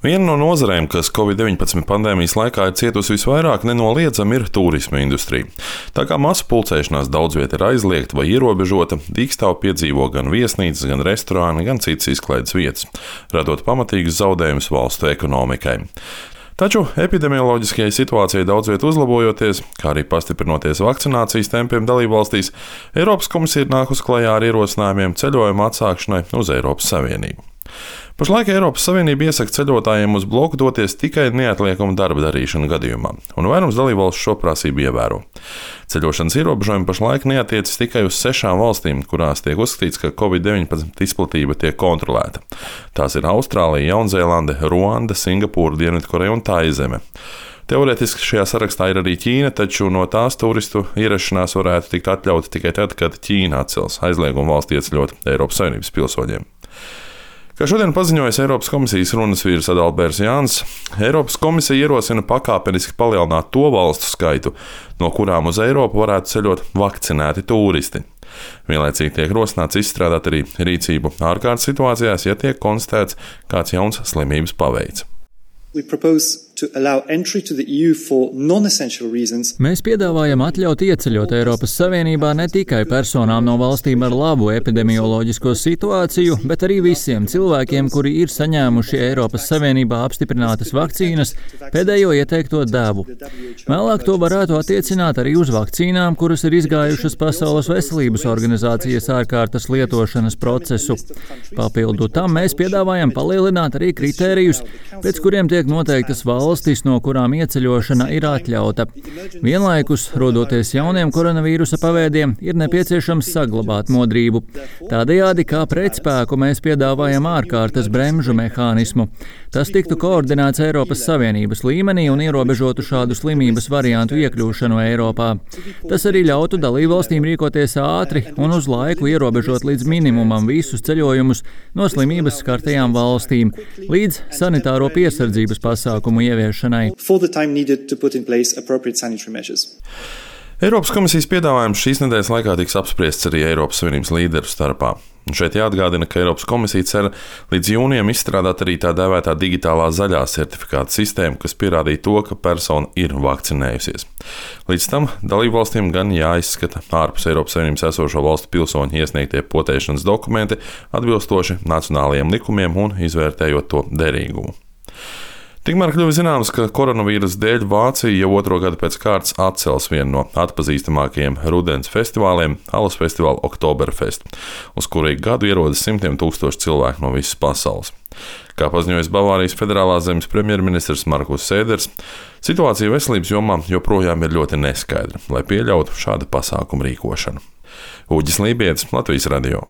Viena no nozarēm, kas Covid-19 pandēmijas laikā ir cietusi visvairāk, nenoliedzami ir turisma industrija. Tā kā masu pulcēšanās daudz vieta ir aizliegta vai ierobežota, dīkstāvu piedzīvo gan viesnīcas, gan restorāni, gan citas izklaides vietas, radot pamatīgus zaudējumus valstu ekonomikai. Taču epidemioloģiskajai situācijai daudz viet uzlabojoties, kā arī pastiprinoties vakcinācijas tempiem dalībvalstīs, Eiropas komisija ir nākusi klajā ar ierosinājumiem ceļojuma atsākšanai uz Eiropas Savienību. Pašlaik Eiropas Savienība iesaka ceļotājiem uz bloku doties tikai neatliekama darba darīšana gadījumā, un vairums dalībvalstu šo prasību ievēro. Ceļošanas ierobežojumi pašlaik neatiecas tikai uz 6 valstīm, kurās tiek uzskatīts, ka Covid-19 izplatība tiek kontrolēta. Tās ir Austrālija, Jaunzēlande, Ruanda, Singapūra, Dienvidkoreja un Taizeme. Teorētiski šajā sarakstā ir arī Ķīna, taču no tās turistu ierašanās varētu tikt atļauta tikai tad, kad Ķīna atcels aizliegumu valstī ieceļot Eiropas Savienības pilsoņiem. Kā šodien paziņojas Eiropas komisijas runas vīrs Adalberts Jānis, Eiropas komisija ierosina pakāpeniski palielināt to valstu skaitu, no kurām uz Eiropu varētu ceļot vakcinēti turisti. Vienlaicīgi tiek rosināts izstrādāt arī rīcību ārkārtas situācijās, ja tiek konstatēts kāds jauns slimības paveids. Mēs piedāvājam atļaut ieceļot Eiropas Savienībā ne tikai personām no valstīm ar labu epidemioloģisko situāciju, bet arī visiem cilvēkiem, kuri ir saņēmuši Eiropas Savienībā apstiprinātas vakcīnas pēdējo ieteikto devu. Vēlāk to varētu attiecināt arī uz vakcīnām, kuras ir izgājušas Pasaules veselības organizācijas ārkārtas lietošanas procesu. Papildu tam mēs piedāvājam palielināt arī kritērijus, pēc kuriem tiek noteiktas valstis, no kurām ieceļošana ir atļauta. Vienlaikus, rodoties jauniem koronavīrusa paveidiem, ir nepieciešams saglabāt modrību. Tādējādi, kā pretspēku, mēs piedāvājam ārkārtas bremžu mehānismu. Tas tiktu koordinēts Eiropas Savienības līmenī un ierobežotu šādu slimības variantu iekļūšanu Eiropā. Tas arī ļautu dalībvalstīm rīkoties ātri un uz laiku ierobežot līdz minimumam visus ceļojumus no slimības skartajām valstīm, līdz sanitāro piesardzības pasākumu ieviešanai. Eiropas komisijas piedāvājums šīs nedēļas laikā tiks apspriests arī Eiropas Savienības līderu starpā. Un šeit jāatgādina, ka Eiropas komisija cer līdz jūnijam izstrādāt arī tā dēvētā digitālā zaļā certifikāta sistēma, kas pierādīja to, ka persona ir vakcinējusies. Līdz tam dalībvalstīm gan jāizskata ārpus Eiropas Savienības esošo valstu pilsoņu iesniegtie potēšanas dokumenti atbilstoši nacionālajiem likumiem un izvērtējot to derīgumu. Tikmēr kļuva zināms, ka koronavīrusa dēļ Vācija jau 2. gadu pēc kārtas atcels vienu no atpazīstamākajiem rudens festivāliem – alus festivālu Oktoberfest, uz kuru ik gadu ierodas simtiem tūkstoši cilvēku no visas pasaules. Kā paziņojis Bavārijas federālās zemes premjerministrs Markus Sēders, situācija veselības jomā joprojām ir ļoti neskaidra, lai pieļautu šādu pasākumu rīkošanu. Uģis Lībietis, Latvijas radio.